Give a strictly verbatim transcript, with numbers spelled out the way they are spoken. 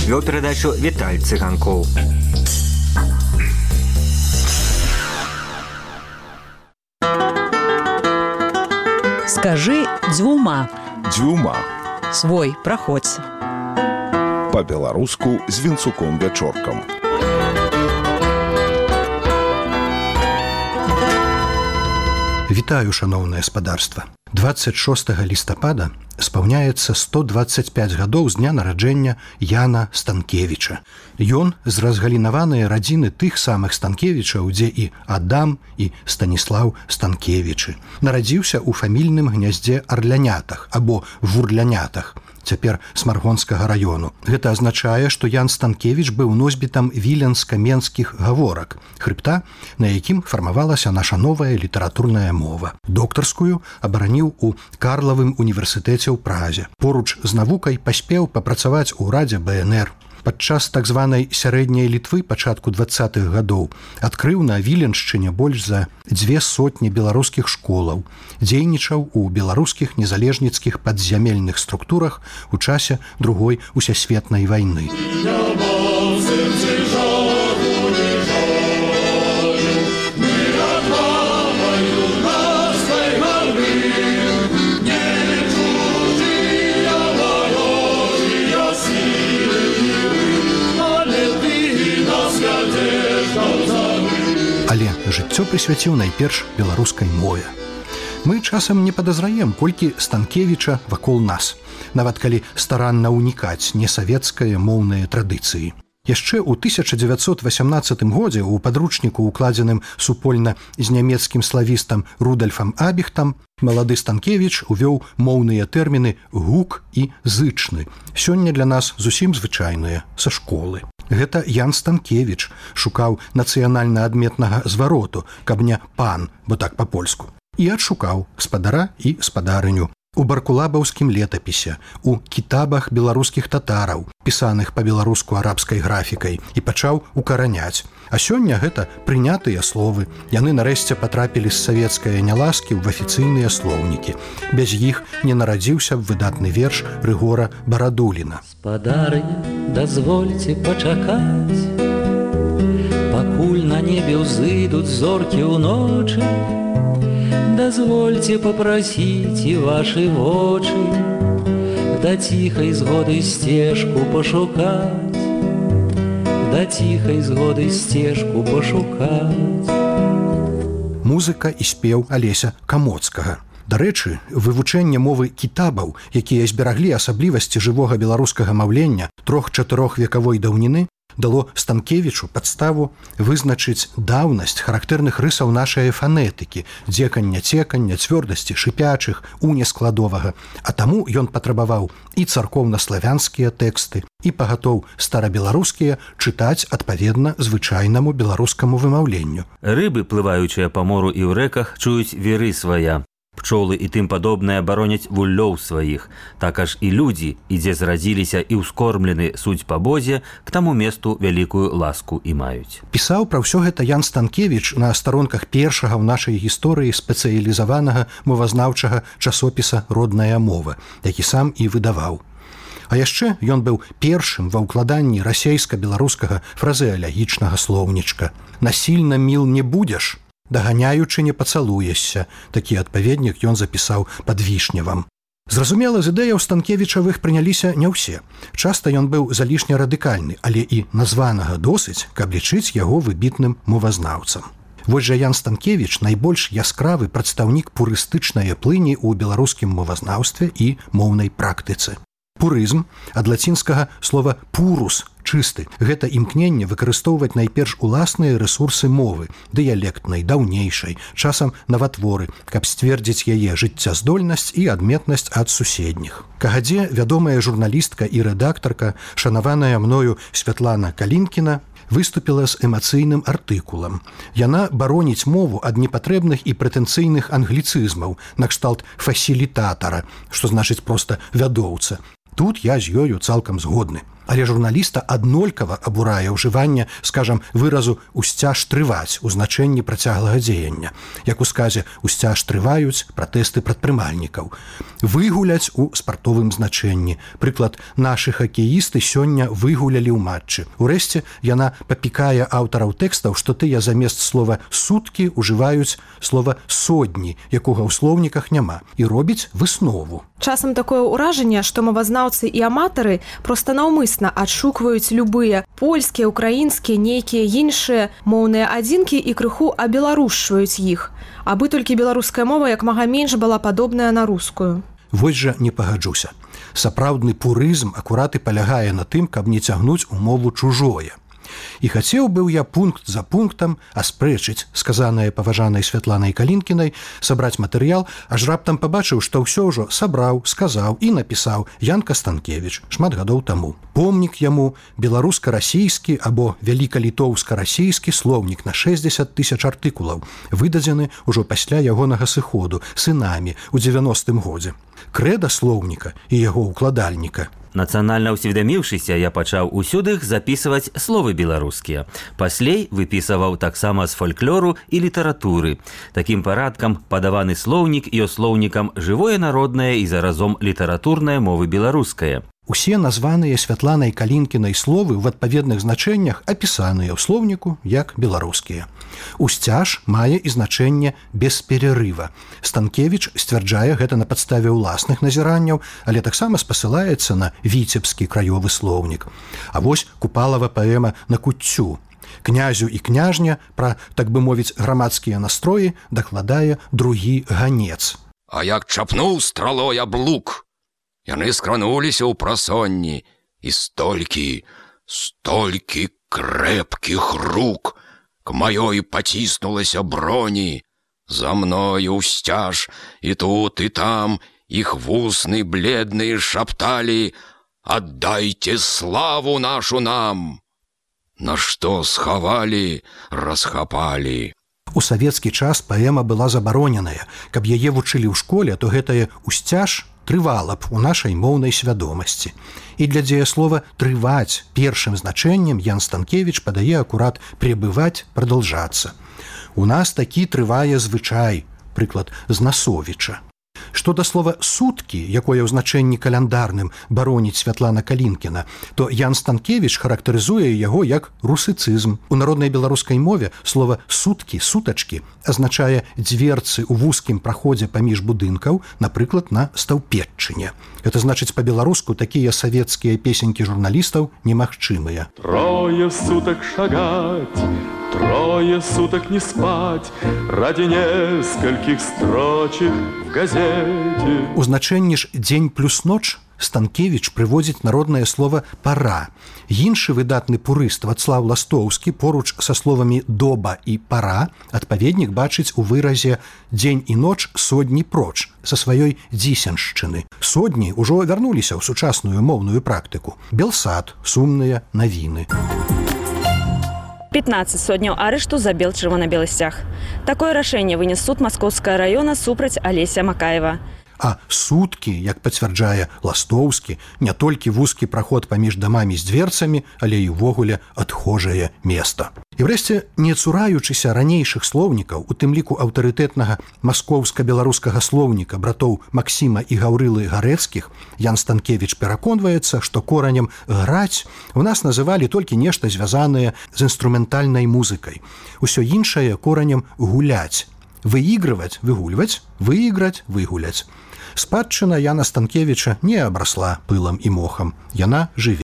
Вёў перадачу Віталь Цыганкоў. Скажи дзвюма. Дзвюма. Свой, праходзь. Па-беларуску з Вінцуком Вячоркам. Вітаю, шаноўнае спадарства. дваццаць шостага лістапада спаўняецца сто дваццаць пяць гадоў з дня нараджэння Яна Станкевіча. Ён з разгалінаванай радзіны тых самых Станкевічаў, дзе і Адам, і Станіслаў Станкевічы. Нарадзіўся ў фамільным гняздзе Арлянятах або Вурлянятах, цяпер Смаргонскага раёну. Гэта азначае, што Ян Станкевіч быў носьбітам віленска-менскіх гаворак, хрыбта, на якім фармавалася наша новая літаратурная мова. Доктарскую абараніў у Карлавым універсітэце ў Празе. Поруч з навукай паспеў папрацаваць у ўрадзе бэ эн эр. Падчас так званай сярэдняй Літвы пачатку дваццатых гадоў адкрыў на Віленшчыне больш за дзве сотні беларускіх школаў, дзейнічаў у беларускіх незалежніцкіх падзямельных структурах у часе Другой усесветнай вайны. Але жыццё прысвяціў найперш беларускай мове. Мы часам не падазраем, колькі Станкевіча вакол нас, нават калі старанна ўнікаць несавецкае моўныя традыцыі. Яшчэ ў тысяча дзевяцьсот васямнаццатым годзе ў падручніку, укладзеным супольна з нямецкім славістам Рудольфам Абіхтам, малады Станкевіч увёў моўныя тэрміны «гук» і «зычны». Сёння для нас зусім звычайныя, са школы. Гэта Ян Станкевіч шукаў нацыянальна адметнага звароту, каб не «пан», бо так па-польску. І адшукаў спадара і спадарыню. У баркулабаўскім летапісе, у кітабах беларускіх татараў, пісаных па-беларуску арабскай графікай, і пачаў укараняць. А сёння гэта прынятыя словы. Яны нарэшце патрапілі з савецкае няласкі ў афіцыйныя слоўнікі. Без іх не нарадзіўся б выдатны верш Рыгора Барадуліна. Спадарыня, дазвольце пачакаць, пакуль на небе ўзыдуць зоркі ўночы, дазвольце папрасіць і вашы вочы да ціхай згоды сцежку пашукаць, да ціхай згоды сцежку пашукаць. Музыка і спеў Алеся Камоцкага. Дарэчы, вывучэнне мовы кітабаў, якія збераглі асаблівасці жывога беларускага маўлення трох-чатырох векавой даўніны, дало Станкевічу падставу вызначыць даўнасць характэрных рысаў нашай фанетыкі, дзекання, цекання, цвёрдасці, шыпячых, унескладовага. А таму ён патрабаваў і царкоўна-славянскія тэксты, і пагатоў старабеларускія чытаць адпаведна звычайнаму беларускаму вымаўленню. Рыбы, плываючыя па мору і ў рэках, чуюць веры свая. Пчолы і тым падобнае бароняць вуллёў сваіх. Так аж і людзі, і дзе зрадзіліся і ўскормлены суть па Бозе, к таму месту вялікую ласку і маюць. Пісаў пра ўсё гэта Ян Станкевіч на старонках першага ў нашай гісторыі спецыялізаванага мовазнаўчага часопіса «Родная мова», які сам і выдаваў. А яшчэ ён быў першым ва ўкладанні расейска-беларускага фразеалагічнага слоўнічка. «Насільна міл не будзеш, даганяючы не пацалуешся», такі адпаведнік ён запісаў пад Вішневам. Зразумела, з ідэяў Станкевічавых прыняліся не ўсе. Часта ён быў залішне радыкальны, але і названага досыць, каб лічыць яго выбітным мовазнаўцам. Вось жа Ян Станкевіч найбольш яскравы прадстаўнік пурыстычнай плыні ў беларускім мовазнаўстве і моўнай практыцы. Пурызм ад лацінскага слова «пурус» – чысты. Гэта імкненне выкарыстоўваць найперш уласныя рэсурсы мовы, дыялектнай, даўнейшай, часам наватворы, каб сцвердзіць яе жыццяздольнасць і адметнасць ад суседніх. Кагадзе вядомая журналістка і рэдактарка, шанаваная мною Святлана Калінкіна, выступіла з эмацыйным артыкулам. Яна бароніць мову ад непатрэбных і прэтэнцыйных англіцызмаў, накшталт фасілітатара, што значыць проста вядоўца. Тут я з ёю цалкам згодны. Але журналіста аднолькава абурае ўжыванне, скажам, выразу «усцяж трываць» у значэнні працяглага дзеяння. Як у сказе «усцяж трываюць» пратэсты прадпрымальнікаў. Выгуляць у спартовым значэнні. Прыклад, нашы хакеісты сёння выгулялі ў матчы. Урэшце, яна папікае аўтараў тэкстаў, што тыя замест слова «суткі» ужываюць слова «содні», якога ў слоўніках няма, і робіць выснову. Часам такое ўражанне, што мовазнаўцы і аматары проста наўмысна адшукваюць любыя польскія, украінскія, нейкія іншыя моўныя адзінкі і крыху абеларушчваюць іх, абы толькі беларуская мова як мага менш была падобная на рускую. Вось жа не пагаджуся. Сапраўдны пурызм акурат і палягае на тым, каб не цягнуць у мову чужое. І хацеў быў я пункт за пунктам аспрэчыць сказанае паважанай Святланай Калінкінай, сабраць матэрыял, аж раптам пабачыў, што ўсё ўжо сабраў, сказаў і напісаў Янка Станкевіч шмат гадоў таму. Помнік яму беларуска-расійскі або вялікалітоўска-расійскі слоўнік на шэсцьдзесят тысяч артыкулаў, выдадзены ўжо пасля ягонага сыходу сынамі ў дзевяностым годзе. Крэда слоўніка і яго укладальніка. Нацыянальна ўсведаміўшыся, я пачаў усюды запісваць словы беларускія. Паслей выпісываў таксама з фальклору і літаратуры. Такім парадкам падаваны слоўнік і слоўнікам жывое народнае і заразом літаратурнае мовы беларускае. Усе названыя Святланай Калінкінай словы ў адпаведных значэннях апісаныя ў слоўніку як беларускія. Усцяж мае і значэнне без перерыва. Станкевіч сцвярджае гэта на падставе ўласных назіранняў, але таксама спасылаецца на віцебскі краёвы слоўнік. А вось Купалава паэма «На куццю». Князю і княжня пра, так бы мовіць, грамадскія настроі дакладае другі ганец. А як чапнуў стралой аблук, яны скрануліся ў прасонні, і столькі, столькі крэпкіх рук к маёй паціснулася броні. За мною ўсцяж, і тут, і там іх вусны бледныя шапталі: «Аддайце славу нашу нам!» На што схавалі, расхапалі. У савецкі час паэма была забароненая. Каб яе вучылі ў школе, то гэтае «усцяж» трывала б у нашай моўнай свядомасці. І для дзеяслова «трываць» першым значэннем Ян Станкевіч падае акурат «пребываць», «продолжаться». У нас такі трывае звычай, прыклад з Насовіча. Што да слова «суткі», якое ў значэнні каляндарным бароніць Святлана Калінкіна, то Ян Станкевіч характарызуе яго як русыцызм. У народнай беларускай мове слова «суткі», «сутачкі» азначае дзверцы ў вузкім праходзе паміж будынкаў, напрыклад, на Стаўпетчыне. Это значыць па-беларуску такія савецкія песенькі журналістаў немагчымыя. Трое суток шагать, трое суток не спать ради нескольких строчек в газете. У значэнні ж «дзень плюс ноч» Станкевіч прыводзіць народнае слова «пара». Іншы выдатны пурыст Вацлаў Ластоўскі поруч са словамі «доба» і «пара» адпаведнік бачыць у выразе «дзень і ноч содні проч» са сваёй дзісеншчыны. Содні ўжо вярнуліся ў сучасную моўную практыку. Белсад, сумныя навіны. пятнадцать сотняў арышту за бел чырвона-белы сцяг. Такое рашэнне вынес суд Маскоўскага раёна супраць Алеся Макаева. А суткі, як пацвярджае Ластоўскі, не толькі вузкі праход паміж дамамі з дзверцамі, але і ўвогуле адхожае места. І врэшце, не цураючыся ранейшых слоўнікаў, у тым ліку аўтарытэтнага маскоўска-беларускага слоўніка братоў Максіма і Гаўрылы Гарэцкіх, Ян Станкевіч пераконваецца, што коранем «граць» у нас называлі толькі нешта звязанае з інструментальнай музыкай. Усё іншае коранем «гуляць». Выігрываць, выгульваць, выіграць, выгуляць. Спадчына Яна Станкевіча не абрасла пылам і мохам. Яна жыве.